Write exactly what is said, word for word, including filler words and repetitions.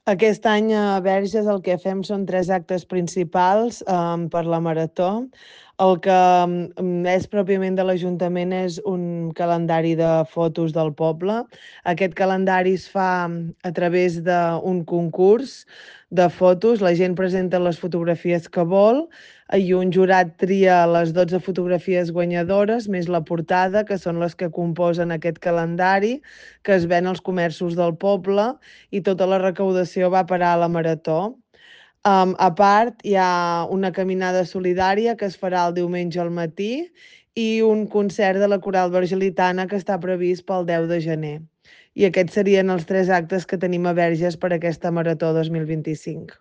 Aquest any a Verges el que fem són tres actes principals um, per la marató. El que um, és pròpiament de l'Ajuntament és un calendari de fotos del poble. Aquest calendari es fa a través d'un concurs de fotos. La gent presenta les fotografies que vol i un jurat tria les dotze fotografies guanyadores, més la portada, que són les que composen aquest calendari, que es ven als comerços del poble, i tota la recaudació va parar a la marató. Um, a part, hi ha una caminada solidària que es farà el diumenge al matí i un concert de la Coral Vergelitana que està previst pel deu de gener. I aquests serien els tres actes que tenim a Verges per aquesta marató dos mil vint-i-cinc.